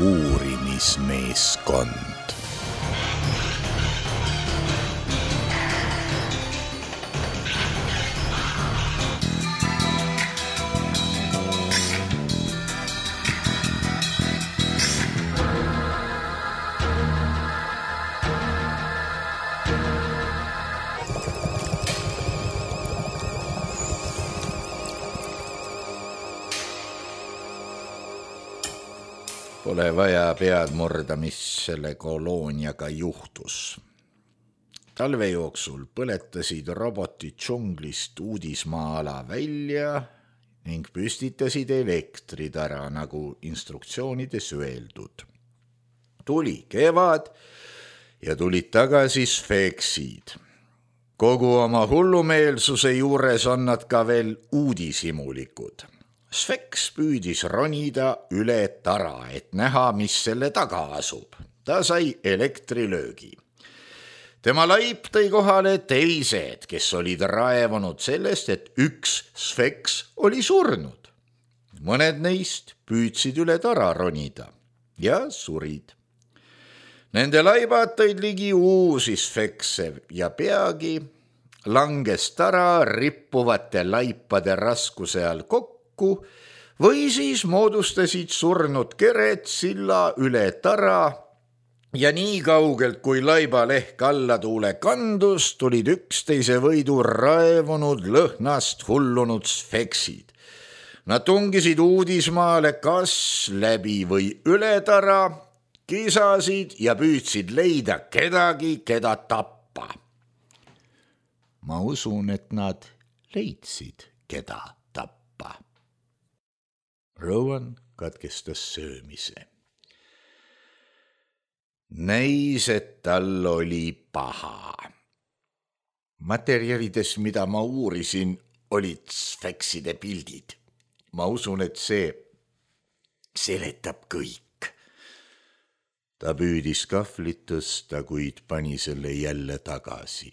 uurimismeeskond. Pole vaja pead murda, mis selle kolooniaga juhtus. Talve jooksul põletasid robotid džunglist uudismaa-ala välja ning püstitasid elektritara, nagu instruktsioonides öeldud. Tuli kevad ja tulid tagasi sfeksid. Kogu oma hullumeelsuse juures on nad ka veel uudishimulikud. Sfeks püüdis ronida üle tara, et näha, mis selle taga asub. Ta sai elektrilöögi. Tema laip tõi kohale teised, kes olid raevunud sellest, et üks sfeks oli surnud. Mõned neist püüdsid üle tara ronida ja surid. Nende laibad tõid ligi uusi sfekse ja peagi langes tara rippuvate laipade raskuse all kokku või siis moodustasid surnud kered silla üle tara ja nii kaugelt, kui laibaleht alla tuule kandus, tulid üksteise võidu raevunud lõhnast hullunud sfeksid. Nad tungisid uudismaale kas läbi või üle tara, kisasid ja püüdsid leida kedagi, keda tappa. Ma usun, et nad leidsid, keda tappa. Rowan katkestas söömise. Näis, et tal oli paha. Materjalides, mida ma uurisin, olid sfekside pildid. Ma usun, et see seletab kõik. Ta püüdis kahvlit tõsta, kuid pani selle jälle tagasi.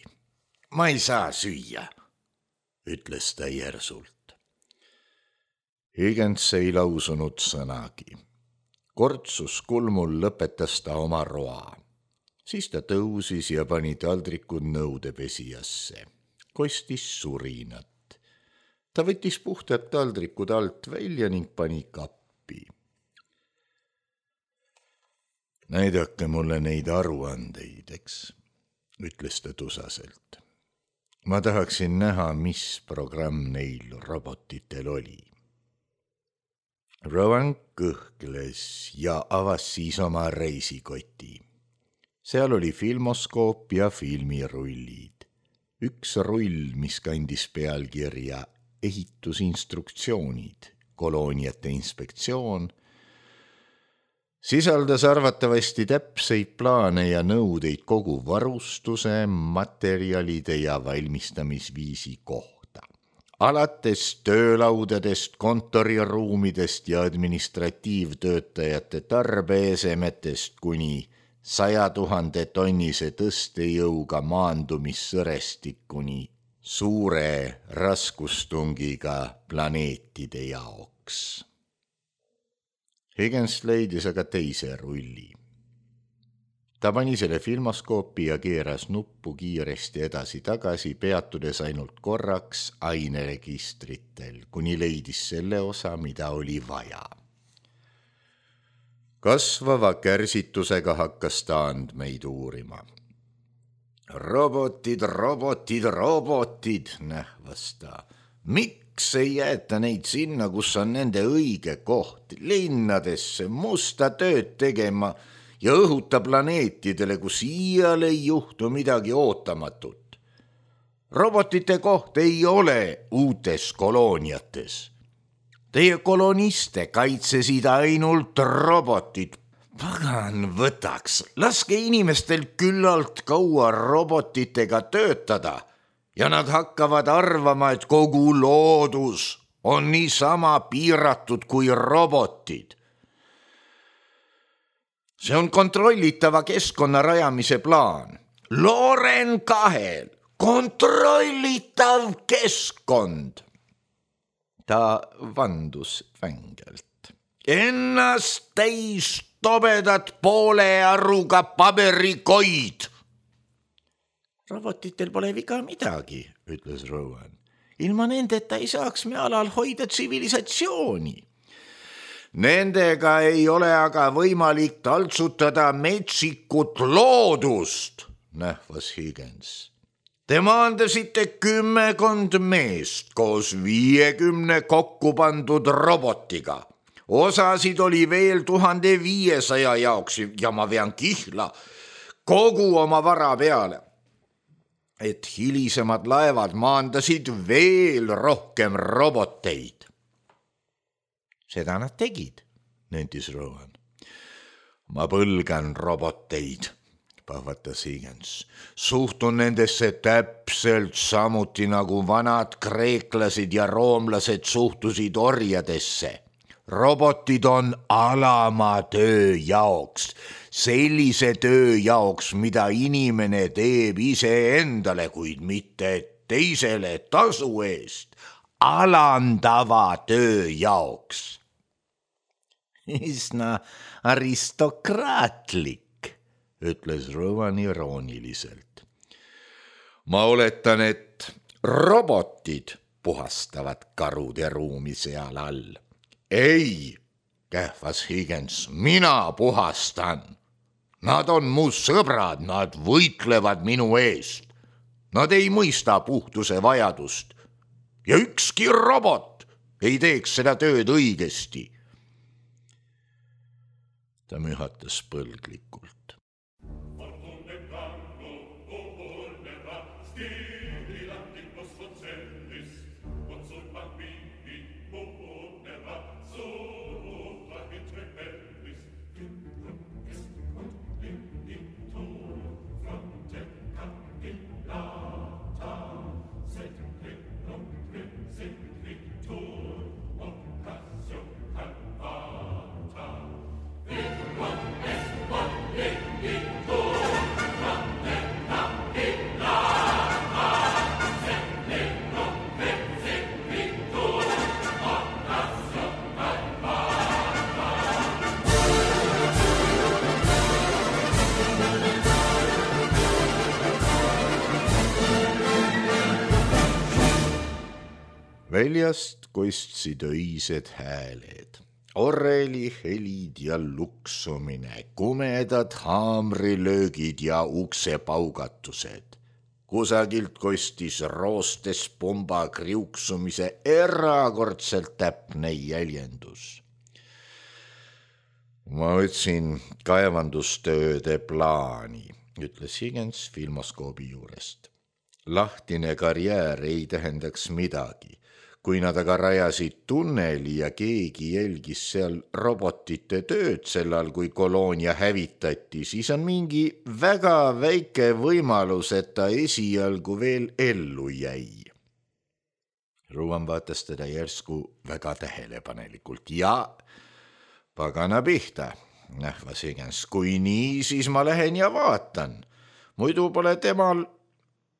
Ma ei saa süüa, ütles ta järsult. Higgins ei lausunud sõnagi. Kortsus kulmul lõpetas ta oma roa. Siis ta tõusis ja pani taldrikud nõudepesijasse. Kostis surinat. Ta võttis puhtad taldrikud alt välja ning pani kappi. Näidake mulle neid aruandeid, eks, ütles ta tusaselt. Ma tahaksin näha, mis programm neil robotitel oli. Rowan kõhkles ja avas siis oma reisikoti. Seal oli filmoskoop ja filmirullid. Üks rull, mis kandis pealkirja ehitusinstruktsioonid, kolooniate inspektsioon, sisaldas arvatavasti täpseid plaane ja nõudeid kogu varustuse, materjalide ja valmistamisviisi kohta. Alates töölaudadest, kontoriruumidest ja administratiivtöötajate tarbeesemetest kuni 100 000 tonnise tõstejõuga maandumissõrestikuni suure raskustungiga planeetide jaoks. Higgins leidis aga teise rulli. Ta pani selle filmoskoopi ja keeras nuppu kiiresti edasi-tagasi, peatudes ainult korraks aineregistritel, kuni leidis selle osa, mida oli vaja. Kasvava kärsitusega hakkas ta andmeid uurima. Robotid, nähvas ta. Miks ei jäeta neid sinna, kus on nende õige koht, linnadesse, musta tööd tegema ja õhuta planeetidele, kus iial ei juhtu midagi ootamatut. Robotite koht ei ole uutes kolooniates. Teie koloniste kaitsesid ainult robotid. Pagan võtaks, laske inimestel küllalt kaua robotitega töötada ja nad hakkavad arvama, et kogu loodus on niisama piiratud kui robotid. See on kontrollitava keskkonna rajamise plaan. Loren 2, kontrollitav keskkond. Ta vandus vängelt. Ennast täis tobedad poole arruga paberikoid. Robotitel pole viga midagi, ütles Rowan. Ilma nendeta ei saaks me alal hoida tsivilisatsiooni. Nendega ei ole aga võimalik taltsutada metsikut loodust, nähvas Higgins. Te maandasite 10 meest koos 50 kokku pandud robotiga. Osasid oli veel 1500 jaoks ja ma vean kihla kogu oma vara peale, et hilisemad laevad maandasid veel rohkem roboteid. Seda nad tegid, nentis Rowan. Ma põlgan roboteid, pahvatas Higgins. Suhtun nendesse täpselt samuti nagu vanad kreeklased ja roomlased suhtusid orjadesse. Robotid on alama töö jaoks, sellise töö jaoks, mida inimene teeb iseendale, kuid mitte teisele tasu eest, alandava töö jaoks. Üsna aristokraatlik, ütles Rowan irooniliselt. Ma oletan, et robotid puhastavad karude ruumi seal all. Ei, kähvas Higgins, mina puhastan. Nad on mu sõbrad, nad võitlevad minu eest. Nad ei mõista puhtuse vajadust. Ja ükski robot ei teeks seda tööd õigesti. Ta mühatas põlglikult. Väljast kostsid öised hääled, oreli helid ja luksumine, kumedad haamrilöögid ja uksepaugatused. Kusagilt kostis roostes pomba kriuksumise erakordselt täpne jäljendus. Ma võtsin kaevandustööde plaani, ütles Higgins filmoskoobi juurest. Lahtine karjäär ei tähendaks midagi. Kui nad aga rajasid tunneli ja keegi jälgis seal robotite tööd sellal, kui koloonia hävitati, siis on mingi väga väike võimalus, et ta esialgu veel ellu jäi. Rowan vaatas teda järsku väga tähelepanelikult ja pagana pihta, nähvas Higgins. Kui nii, siis ma lähen ja vaatan. Muidu pole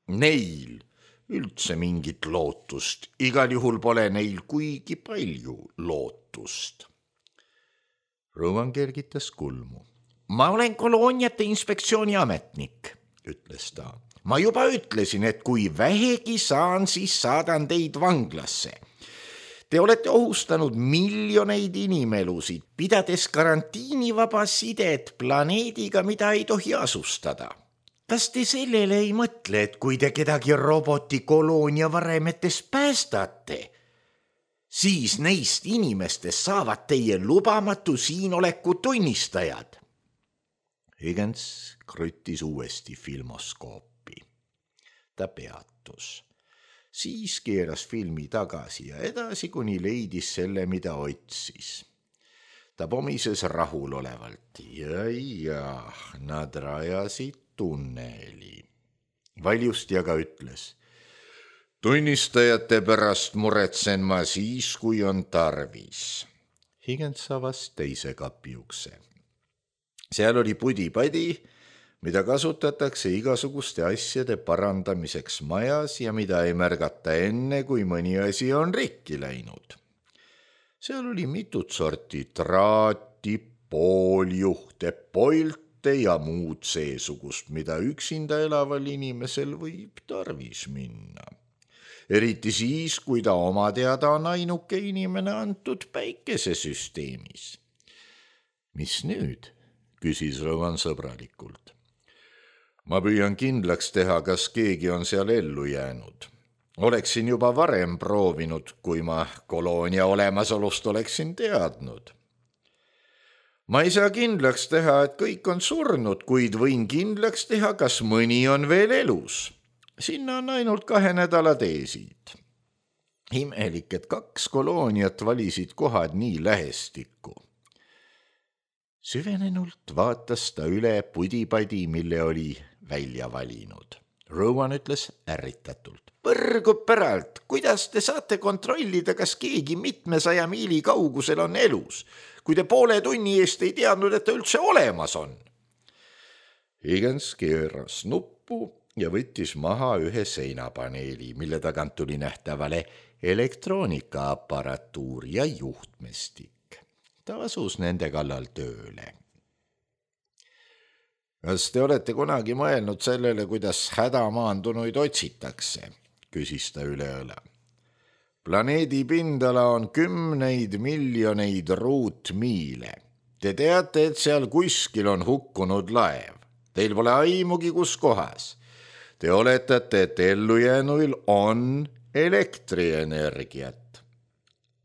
neil üldse mingit lootust. Igal juhul pole neil kuigi palju lootust. Rowan kergitas kulmu. Ma olen kolooniate inspektsiooni ametnik, ütles ta. Ma juba ütlesin, et kui vähegi saan, siis saadan teid vanglasse. Te olete ohustanud miljoneid inimelusid, pidades karantiinivaba sidet planeediga, mida ei tohi asustada. Kas te sellele ei mõtle, et kui te kedagi robotikoloonia varemetes päästate, siis neist inimestest saavad teie lubamatu siinoleku tunnistajad? Higgins kruttis uuesti filmoskoopi. Ta peatus. Siis keeras filmi tagasi ja edasi, kuni leidis selle, mida otsis. Ta pomises rahulolevalt. Ja, nad rajasid tunneli. Valjusti aga ütles. Tunnistajate pärast muretsen ma siis, kui on tarvis. Higgins avas teise kapi ukse. Seal oli pudi-padi, mida kasutatakse igasuguste asjade parandamiseks majas ja mida ei märgata enne, kui mõni asi on rikki läinud. Seal oli mitut sorti traati, pooljuhte, polte ja muud seesugust, mida üksinda elaval inimesel võib tarvis minna. Eriti siis, kui ta oma teada on ainuke inimene antud päikesesüsteemis. Mis nüüd? Küsis Rowan sõbralikult. Ma püüan kindlaks teha, kas keegi on seal ellu jäänud. Oleksin juba varem proovinud, kui ma koloonia olemasolust oleksin teadnud. Ma ei saa kindlaks teha, et kõik on surnud, kuid võin kindlaks teha, kas mõni on veel elus. Sinna on ainult 2 nädala teesid. Imelik, et 2 kolooniat valisid kohad nii lähestikku. Süvenenult vaatas ta üle pudipadi, mille oli välja valinud. Rowan ütles ärritatult. Põrgu päralt, kuidas te saate kontrollida, kas keegi mitmesaja miili kaugusel on elus, kui te poole tunni eest ei teadnud, et ta üldse olemas on? Higgins keeras nuppu ja võttis maha ühe seinapaneeli, mille tagant tuli nähtavale elektroonikaapparatuur ja juhtmestik. Ta asus nende kallal tööle. Kas te olete kunagi mõelnud sellele, kuidas hädamaandunuid otsitakse? Küsis ta üle õla. Planeedi pindala on 10 miljoneid ruutmiile. Te teate, et seal kuskil on hukkunud laev. Teil pole aimugi, kus kohas. Te oletate, et ellujäänuil on elektrienergiat.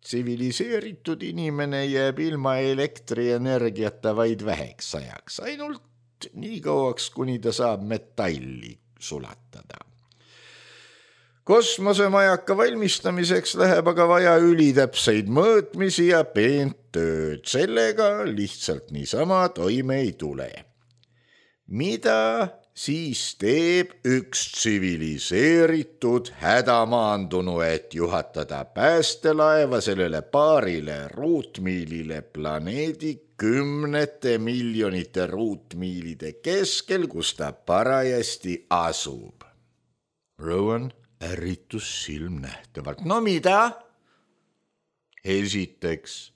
Tsiviliseeritud inimene jääb ilma elektrienergiata vaid väheks ajaks, ainult nii kauaks, kuni ta saab metalli sulatada. Kosmosemajaka valmistamiseks läheb aga vaja ülitäpseid mõõtmisi ja peent tööd. Sellega lihtsalt niisama toime ei tule. Mida siis teeb üks tsiviliseeritud hädamaandunu, et juhatada päästelaeva sellele 2 ruutmiilile planeedi 10 miljonite ruutmiilide keskel, kus ta parajasti asub? Rowan ärritus silmnähtavalt. No mida? Esiteks,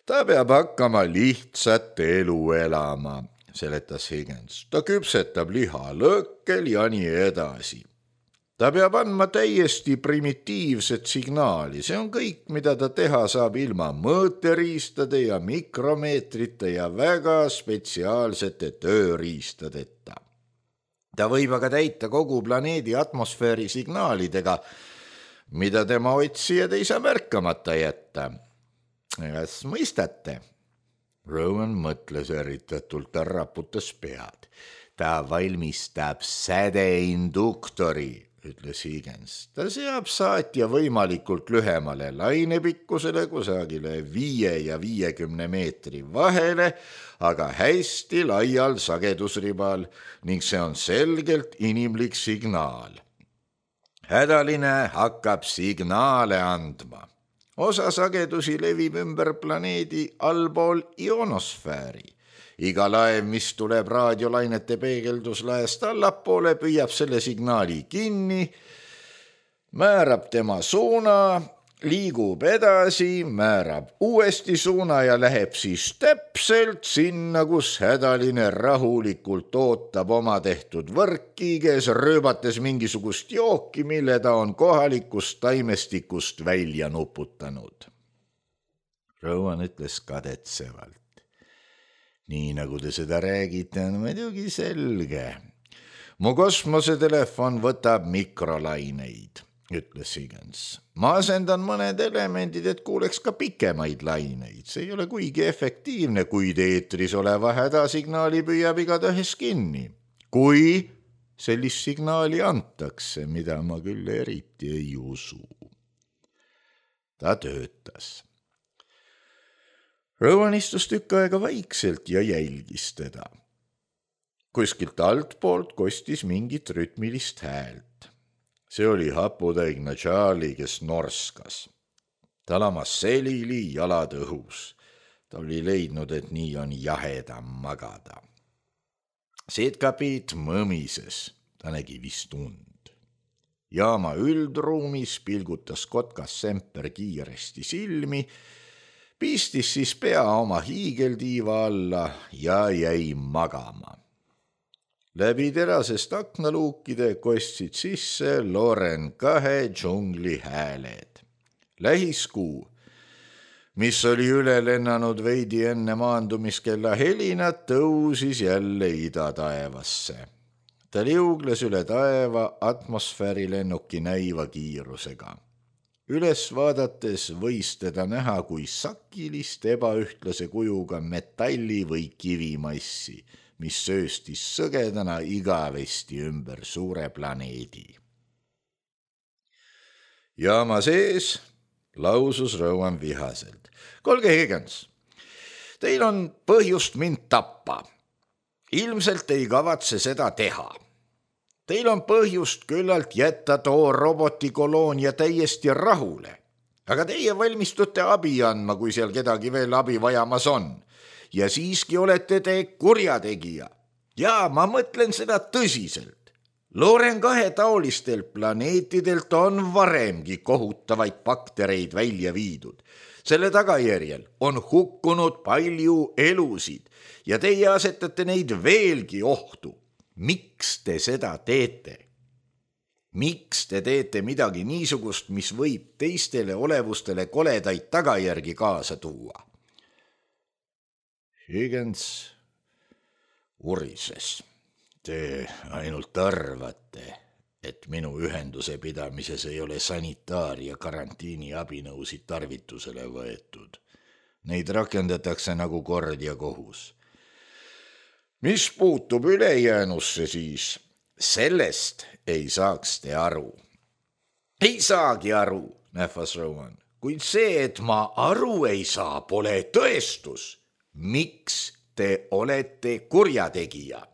ta peab hakkama lihtsat elu elama, seletas Higgins. Ta küpsetab liha lõkkel ja nii edasi. Ta peab andma täiesti primitiivset signaali. See on kõik, mida ta teha saab ilma mõõteriistade ja mikromeetrite ja väga spetsiaalsete tööriistadeta. Ta võib aga täita kogu planeedi atmosfääri signaalidega, mida tema otsijad ei saa märkamata jätta. Kas mõistate? Rowan mõtles ärritatult, ta raputas pead. Ta valmistab sädeinduktori, ütles Higgins. Ta seab saatja võimalikult lühemale lainepikkusele, kusagile 5 ja 50 meetri vahele, aga hästi laial sagedusribal ning see on selgelt inimlik signaal. Hädaline hakkab signaale andma. Osa sagedusi levib ümber planeedi allpool ionosfääri. Iga laev, mis tuleb raadiolainete peegelduslaest allapoole, püüab selle signaali kinni, määrab tema suuna, liigub edasi, määrab uuesti suuna ja läheb siis täpselt sinna, kus hädaline rahulikult ootab oma tehtud võrkkiiges, rööbates mingisugust jooki, mille ta on kohalikust taimestikust välja nuputanud. Rowan ütles kadetsevalt. Nii nagu te seda räägite, on muidugi selge. Mu kosmosetelefon võtab mikrolaineid, ütles Higgins. Ma asendan mõned elemendid, et kuuleks ka pikemaid laineid. See ei ole kuigi efektiivne, kuid eetris oleva hädasignaali püüab igatahes kinni. Kui sellist signaali antakse, mida ma küll eriti ei usu. Ta töötas. Rowan istus tükk aega vaikselt ja jälgis teda. Kuskilt altpoolt kostis mingit rütmilist häält. See oli haputaigne Charlie, kes norskas. Ta lamas selili, jalad õhus. Ta oli leidnud, et nii on jahedam magada. Siitkapiit mõmises, ta nägi vist und. Jaama üldruumis pilgutas kotkas Semper kiiresti silmi, pistis siis pea oma hiigeltiiva alla ja jäi magama. Läbi terasest aknaluukide kostsid sisse Loren 2 džungli hääled. Lähiskuu, mis oli üle lennanud veidi enne maandumiskella helinat, tõusis jälle idataevasse. Ta liugles üle taeva atmosfäärilennuki näiva kiirusega. Üles vaadates võis teda näha kui sakilist ebaühtlase kujuga metalli või kivimassi, mis sööstis sõgedana igavesti ümber suure planeedi. Jaama sees lausus Rowan vihaselt. Kolge Higgins, teil on põhjust mind tappa. Ilmselt ei kavatse seda teha. Teil on põhjust küllalt jätta too robotikoloonia täiesti rahule. Aga teie valmistute abi andma, kui seal kedagi veel abi vajamas on. Ja siiski olete te kurjategija. Ja ma mõtlen seda tõsiselt. Loren 2 taolistel planeetidelt on varemgi kohutavaid baktereid välja viidud. Selle tagajärjel on hukkunud palju elusid ja teie asetate neid veelgi ohtu. Miks te seda teete? Miks te teete midagi niisugust, mis võib teistele olevustele koledaid tagajärgi kaasa tuua? Higgins urises. Te ainult arvate, et minu ühenduse pidamises ei ole sanitaar- ja karantiini abinõusid tarvitusele võetud. Neid rakendatakse nagu kord ja kohus. Mis puutub ülejäänusse siis, sellest ei saaks te aru. Ei saagi aru, nähvas Rowan, kuid see, et ma aru ei saa, pole tõestus. Miks te olete kurjategija?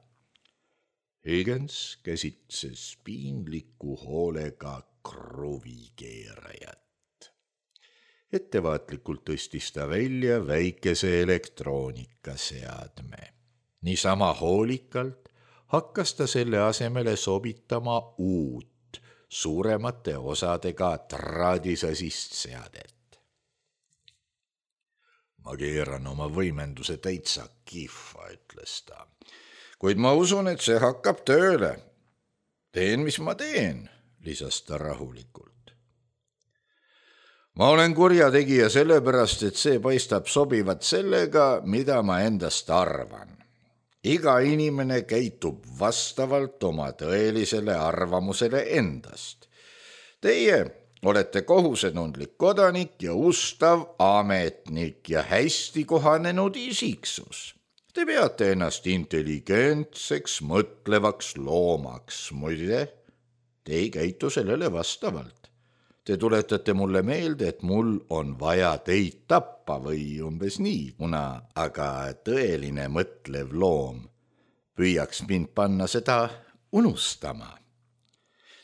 Higgins käsitses piinliku hoolega kruvikeerajat. Ettevaatlikult tõstis ta välja väikese elektroonikaseadme. Niisama hoolikalt hakkas ta selle asemele sobitama uut, suuremate osadega traadisasist seadet. Ma keeran oma võimenduse täitsa kihva, ütles ta. Kuid ma usun, et see hakkab tööle. Teen, mis ma teen, lisas ta rahulikult. Ma olen kurjategija sellepärast, et see paistab sobivat sellega, mida ma endast arvan. Iga inimene käitub vastavalt oma tõelisele arvamusele endast. Teie olete kohusetundlik kodanik ja ustav ametnik ja hästi kohanenud isiksus. Te peate ennast intelligentseks, mõtlevaks loomaks. Muide, te ei käitu sellele vastavalt. Te tuletate mulle meelde, et mul on vaja teid tappa või umbes nii, kuna aga tõeline mõtlev loom püüaks mind panna seda unustama.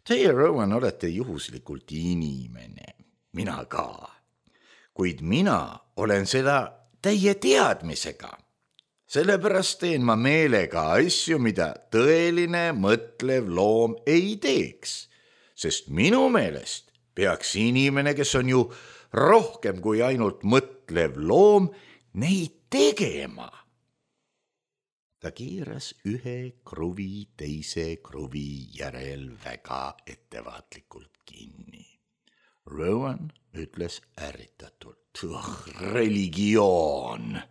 Teie, Rowan, olete juhuslikult inimene, mina ka, kuid mina olen seda täie teadmisega. Sellepärast teen ma meelega asju, mida tõeline mõtlev loom ei teeks, sest minu meelest peaks inimene, kes on ju rohkem kui ainult mõtlev loom, neid tegema. Ta keeras ühe kruvi teise kruvi järel väga ettevaatlikult kinni. Rowan ütles ärritatult, religioon.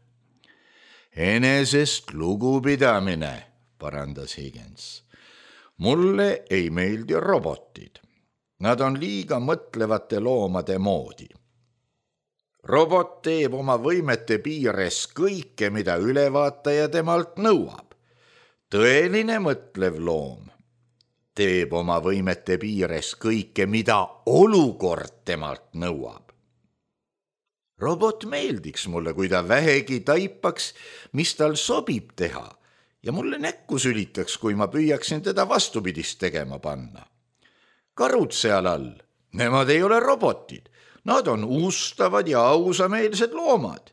Enesest lugupidamine, parandas Higgins. Mulle ei meeldi robotid. Nad on liiga mõtlevate loomade moodi. Robot teeb oma võimete piires kõike, mida ülevaataja temalt nõuab. Tõeline mõtlev loom teeb oma võimete piires kõike, mida olukord temalt nõuab. Robot meeldiks mulle, kui ta vähegi taipaks, mis tal sobib teha, ja mulle näkku sülitaks, kui ma püüaksin teda vastupidist tegema panna. Karud seal all, nemad ei ole robotid, nad on ustavad ja ausameelsed loomad.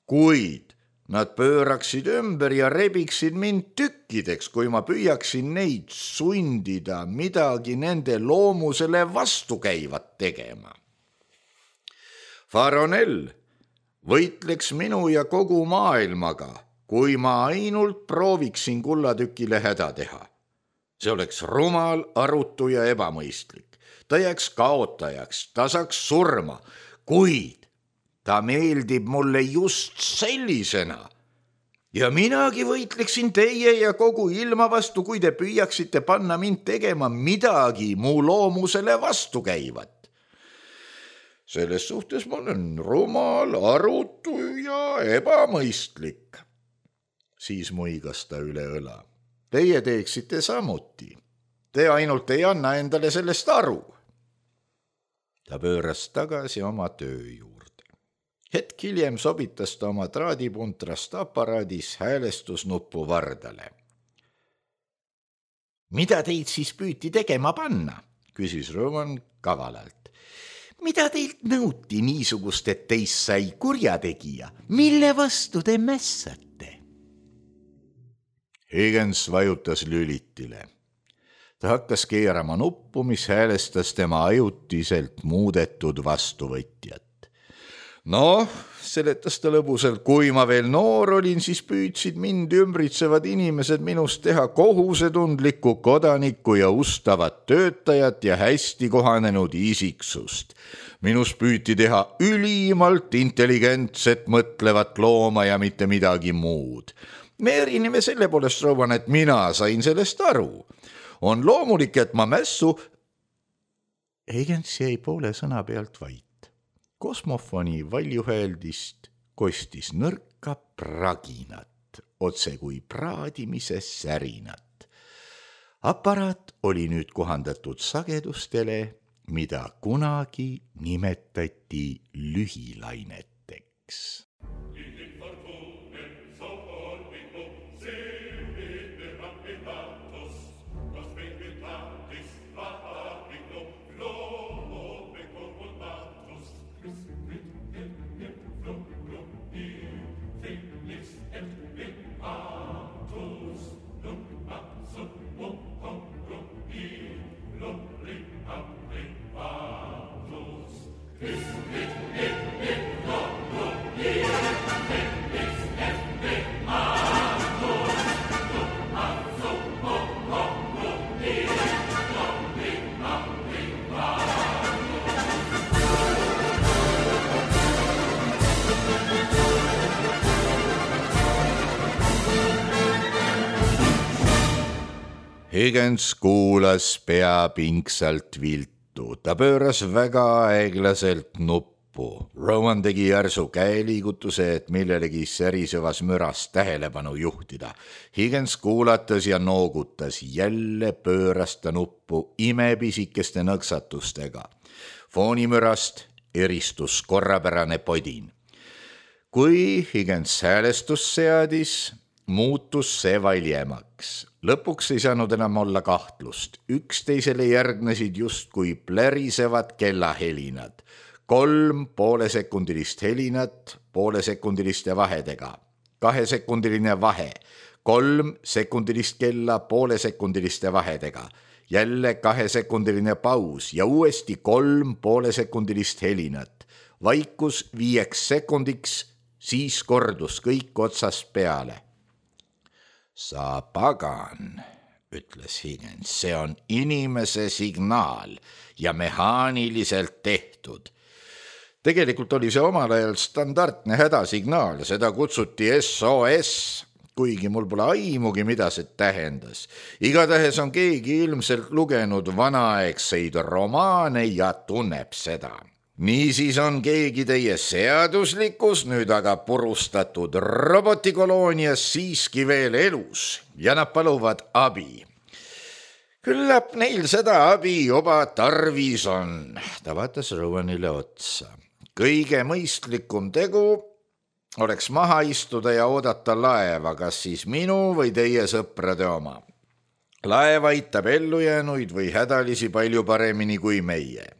Kuid nad pööraksid ümber ja rebiksid mind tükkideks, kui ma püüaksin neid sundida midagi nende loomusele vastukäivat tegema. Faronell võitleks minu ja kogu maailmaga, kui ma ainult prooviksin kullatükile häda teha. See oleks rumal, arutu ja ebamõistlik. Ta jääks kaotajaks, ta saaks surma, kuid ta meeldib mulle just sellisena. Ja minagi võitleksin teie ja kogu ilma vastu, kui te püüaksite panna mind tegema midagi mu loomusele vastu käivat. Selles suhtes ma olen rumal, arutu ja ebamõistlik. Siis muigas ta üle õla. Teie teeksite samuti. Te ainult ei anna endale sellest aru. Ta pööras tagasi oma töö juurde. Hetk hiljem sobitas ta oma traadipuntrast aparaadis häälestusnuppu vardale. Mida teid siis püüti tegema panna? Küsis Rowan kavalalt. Mida teilt nõuti niisugust, et teist sai kurjategija? Mille vastu te mässate? Higgins vajutas lülitile. Ta hakkas keerama nuppu, mis häälestas tema ajutiselt muudetud vastuvõtjat. Noh, seletas ta lõbusalt, kui ma veel noor olin, siis püüdsid mind ümbritsevad inimesed minust teha kohusetundlikku kodanikku ja ustavat töötajat ja hästi kohanenud isiksust. Minus püüti teha ülimalt intelligentset mõtlevat looma ja mitte midagi muud. Me erineme selle poolest, Rowan, et mina sain sellest aru. On loomulik, et ma mässu... Higgins jäi poole sõna pealt vait. Kosmofoni valjuhääldist kostis nõrka praginat, otse kui praadimise särinat. Aparaat oli nüüd kohandatud sagedustele, mida kunagi nimetati lühilaineteks. Higgins kuulas pea pingsalt viltu. Ta pööras väga aeglaselt nuppu. Rowan tegi järsu käeliigutuse, et millelegi särisevas müras tähelepanu juhtida. Higgins kuulatas ja noogutas. Jälle pööras ta nuppu imepisikeste nõksatustega. Foonimürast eristus korrapärane podin. Kui Higgins häälestus seadis, muutus see valjemaks. Lõpuks ei saanud enam olla kahtlust. Üksteisele järgnesid justkui plärisevad kellahelinad. 3 poolesekundilist helinat poolesekundiliste vahedega. 2-sekundiline vahe. 3 sekundilist kella poolesekundiliste vahedega. Jälle 2-sekundiline paus ja uuesti 3 poolesekundilist helinat. Vaikus 5 sekundiks, siis kordus kõik otsast peale. Sa pagan, ütles Higgins, see on inimese signaal ja mehaaniliselt tehtud. Tegelikult oli see omal ajal standardne hädasignaal, seda kutsuti SOS, kuigi mul pole aimugi, mida see tähendas. Igatahes on keegi ilmselt lugenud vanaaegseid romaane ja tunneb seda. Niisiis on keegi teie seaduslikus, nüüd aga purustatud robotikoloonias siiski veel elus ja nad paluvad abi. Küllap neil seda abi juba tarvis on. Ta vaatas Rowanile otsa. Kõige mõistlikum tegu oleks maha istuda ja oodata laeva, kas siis minu või teie sõprade oma. Laev aitab ellujäänuid või hädalisi palju paremini kui meie.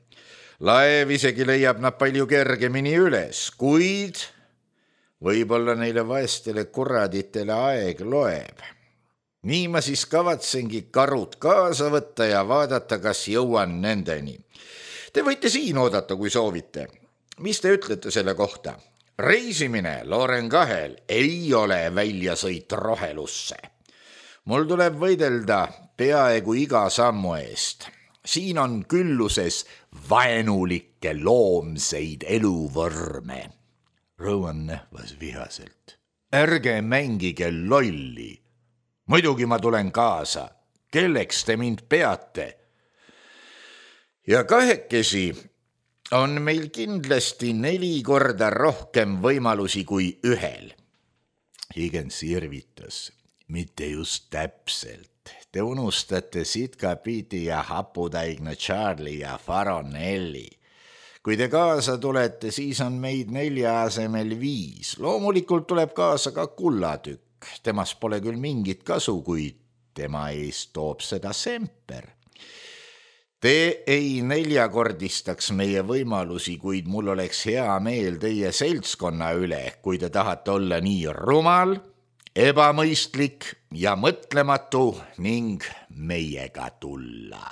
Laev isegi leiab nad palju kergemini üles, kuid võib-olla neile vaestele kuraditele aeg loeb. Nii ma siis kavatsengi karud kaasa võtta ja vaadata, kas jõuan nendeni. Te võite siin oodata, kui soovite. Mis te ütlete selle kohta? Reisimine Loren kahel ei ole väljasõit rohelusse. Mul tuleb võidelda peaaegu iga sammu eest. Siin on külluses vaenulikke loomseid eluvõrme. Rowan nähvas vihaselt. Ärge mängige lolli. Muidugi ma tulen kaasa. Kelleks te mind peate? Ja kahekesi on meil kindlasti 4 korda rohkem võimalusi kui ühel. Higgins irvitas. Mitte just täpselt. Te unustate Sitka Pete ja haputäigna Charlie ja Faronelli. Kui te kaasa tulete, siis on meid 4 asemel 5. Loomulikult tuleb kaasa ka kullatükk. Temast pole küll mingit kasu, kuid tema eest toob seda semper. Te ei 4-kordistaks meie võimalusi, kuid mul oleks hea meel teie seltskonna üle, kui te tahate olla nii rumal, ebamõistlik ja mõtlematu ning meiega tulla.